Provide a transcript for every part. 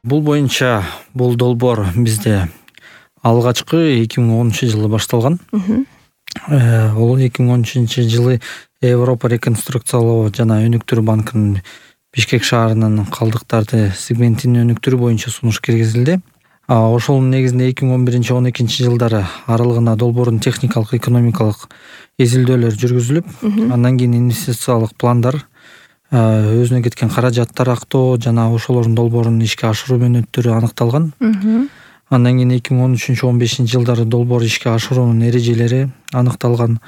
Бул боюнча бул долбоор бизде алгачкы 2010-жылы башталган. Ол 2013-жылы Европа реконструкциялоо жана өнүктүрүү банкынын Бишкек шаарынын калдыктарды сегментинин өнүктүрүү боюнча сунуш киргизилди. Ошонун негизинде 2011-12-жылдары аралыгында долбоордун техникалык, экономикалык изилдөөлөр жүргүзүлүп, андан кийин инвестициялык пландар, өзүнө кеткен каражаттар актоо жана ошолордун долбоорун ишке ашыруу мөөнөттөрү аныкталган. Андан кийин 2013-15-жылдары долбоор ишке ашыруунун эрежелери аныкталган.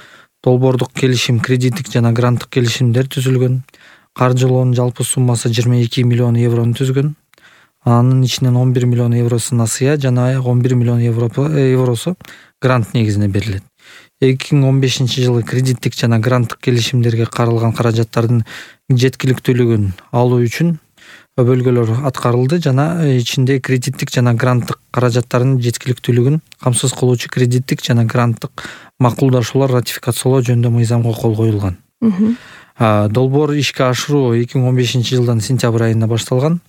Долбоордук келишим, кредиттик жана гранттык келишимдер түзүлгөн. Каржылоонун жалпы суммасы 22 миллион еврону түзгөн. Анын ичинен 11 миллион евросу насыя жана 11 миллион евросу грант негизинде берилет. 2015-жылы кредиттик жана гранттык келишимдерге каралган каражаттардын жеткиликтүүлүгүн алуу үчүн бөлгөлөр аткарылды жана ичинде кредиттик жана гранттык каражаттардын жеткиликтүүлүгүн камсыз кылуучу кредиттик жана гранттык макулдашуулар ратификациялоо жөнүндө мыйзамга кол коюлган. Долбоор ишке ашыруу 2015-жылдын сентябрь айында башталган.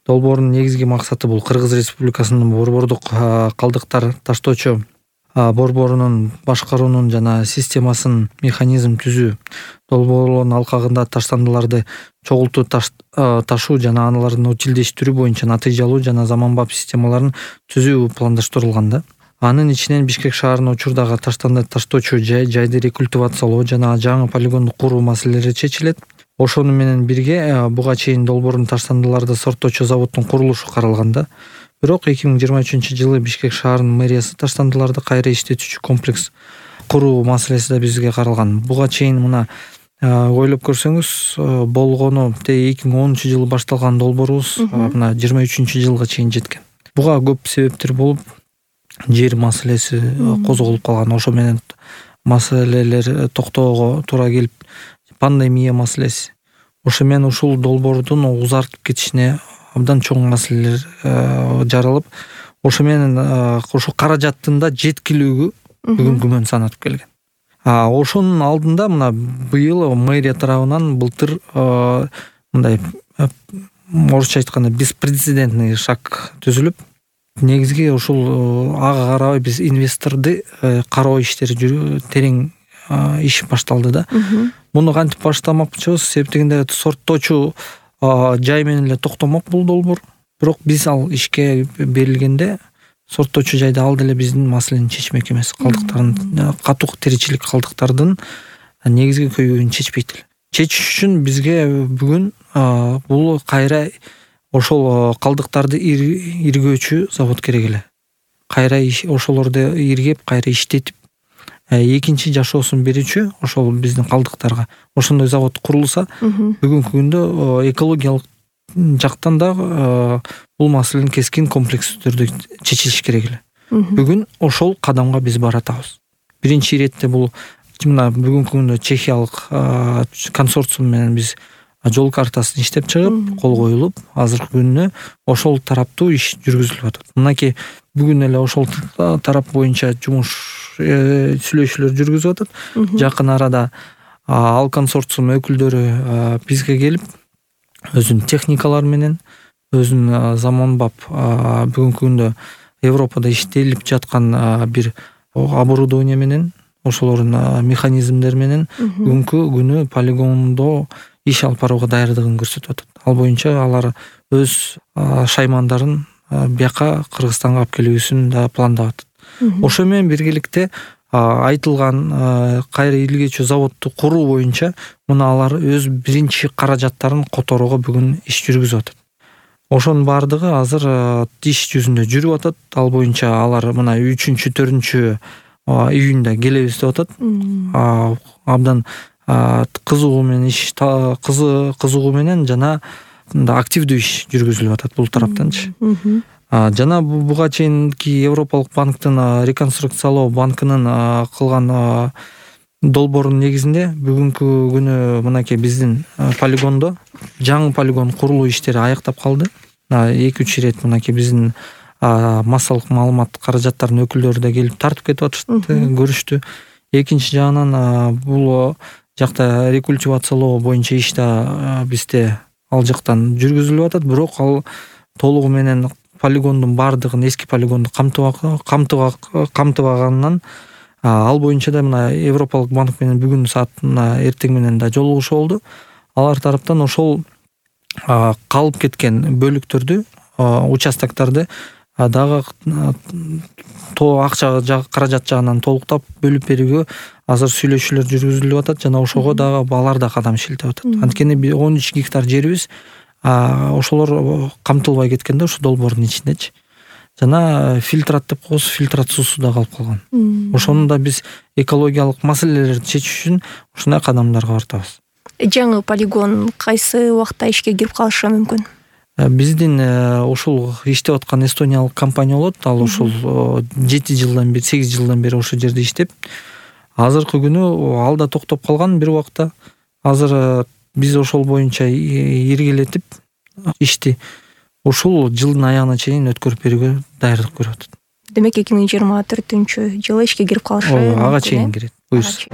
Долбоордун негизги максаты бул Кыргыз Республикасынын борбордук калдыктар таштоочу борборунун башкаруунун жана системасынын механизм түзүү, долбоорлордун алкагында таштандыларды чогултуу ташуу жана аналардын утилдештирүү боюнча натыйжалуу жана заманбап системаларын түзүү пландаштырылган да. Анын ичинен Бишкек шаарынын учурдагы таштанды таштоочу жайды рекультивациялоо жана жаңы полигонду куруу маселелери чечилет. Ошону менен бирге буга чейин долбоордун таштандыларды сорттоочу заводдун курулушу каралган да. Бирок 2023-жылы Бишкек шаарынын мэриясы таштандыларды кайра иштетүүчү комплекс куруу маселеси да бизге каралган. Буга чейин мына ойлоп көрсөңүз, болгону 2010-жылы башталган долбоорубуз мына 23-жылга чейин жеткен. Буга көп себептер болуп, жер маселеси козголуп калган. Ошо менен маселелер токтоого туура келип, пандемия маселеси. Ошо менен ушул долбоордун узартып кетишине абдан чоң маселелер жаралып, ошо менен ошо каражаттын да жеткилүүгү бүгүн күмөн санатып келген. Ошонун алдында мына быйыл мэрия тарабынан былтыр мындай орусча айтканда беспрецедентный шаг түзүлүп, негизги ушул ага карабай биз инвесторду кароо иштери терең иш башталды да. Муну кантип баштамакчыбыз? Себептегенде сорттоочу жай менен эле токтомок бул долбоор. Бирок биз ал ишке берилгенде сорттоочу жайда ал деле биздин маселени чечмек эмес. Калдыктардын катуу тиричилик калдыктардын негизги көйгөйүн чечпейт эле. Чечиш үчүн бизге бүгүн бул кайра ошол калдыктарды иргөөчү завод керек эле. Кайра ошолорду иргеп, кайра иштетип, экинчи жашоосун берүүчү ошол биздин калдыктарга ошондой завод курулса, бүгүнкү күндө экологиялык жактан да бул маселенин кескин комплекстүү түрдө чечилиш керек эле. Бүгүн ошол кадамга биз баратабыз. Биринчи иретте бул мына бүгүнкү күндө чехиялык консорциум менен биз жол картасын иштеп чыгып, кол коюлуп, азыркы күндө ошол тараптуу иш жүргүзүлүп атат. Мынакей бүгүн эле ошол тарап боюнча жумуш сүйлөшүүлөр жүргүзүп атат. Жакын арада ал консорциум өкүлдөрү бизге келип, өзүнүн техникалары менен, өзүнүн заманбап бүгүнкү күндө Европада иштелип жаткан бир оборудование менен, ошолордун механизмдери менен бүгүнкү күнү полигондо иш алып барууга даярдыгын көрсөтүп атат. Ал боюнча алар өз шаймандарын бияка Кыргызстанга алып келүүсүн да пландап атат. Ошо менен биргеликте айтылган кайра илгөөчү заводду куруу боюнча мына алар өз биринчи каражаттарын которууга бүгүн иш жүргүзүп атат. Ошонун баардыгы азыр иш жүзүндө жүрүп атат. Ал боюнча алар мына 3-4 июнда келебиз деп атат. Абдан кызыгуу менен жана активдүү иш жүргүзүлүп атат бул тараптанчы. Жана буга чейинки Европалык банктын реконструкциялоо банкынын кылган долбоорунун негизинде бүгүнкү күнү мынакей биздин полигондо жаңы полигон курулуу иштери аяктап калды. 2-3 ирет мынакей биздин массалык маалымат каражаттарынын өкүлдөрү да келип тартып кетип атышты, көрүштү. Экинчи жагынан бул жакта рекультивациялоо боюнча иш да бизде ал жактан жүргүзүлүп атат, бирок ал толугу менен полигондун баардыгын, эски полигонду камтыбаганынан ал боюнча да мына Европалык банк менен бүгүн саатына эртең менен да жолугушуу болду. Алар тараптан ошол калып кеткен бөлүктөрдү, участокторду дагы акча каражат жагынан толуктап бөлүп берүүгө азыр сүйлөшүүлөр жүргүзүлүп атат жана ошого дагы алар да кадам шилтеп атат. Анткени 13 гектар жерибиз ошолор камтылбай кеткен да ушу долбоордун ичиндечи. Жана фильтрат деп коебуз, фильтрат суусу да калып калган. Ошону да биз экологиялык маселелерди чечиш үчүн ушундай кадамдарга бартабыз. Жаңы полигон кайсы убакта ишке кирип калышы мүмкүн? Биздин ушул иштеп аткан эстониялык компания болот. Ал ушул 8 жылдан бери ошол жерде иштеп, азыркы күнү ал да токтоп калган бир убакта. Азыр биз ошол боюнча иргилетип ишти ушул жылдын аягына чейин өткөрүп берүүгө даярдык көрүп атат. Демек 2024-жылы ишке кирип калышы ага чейин кирет. Буюрса.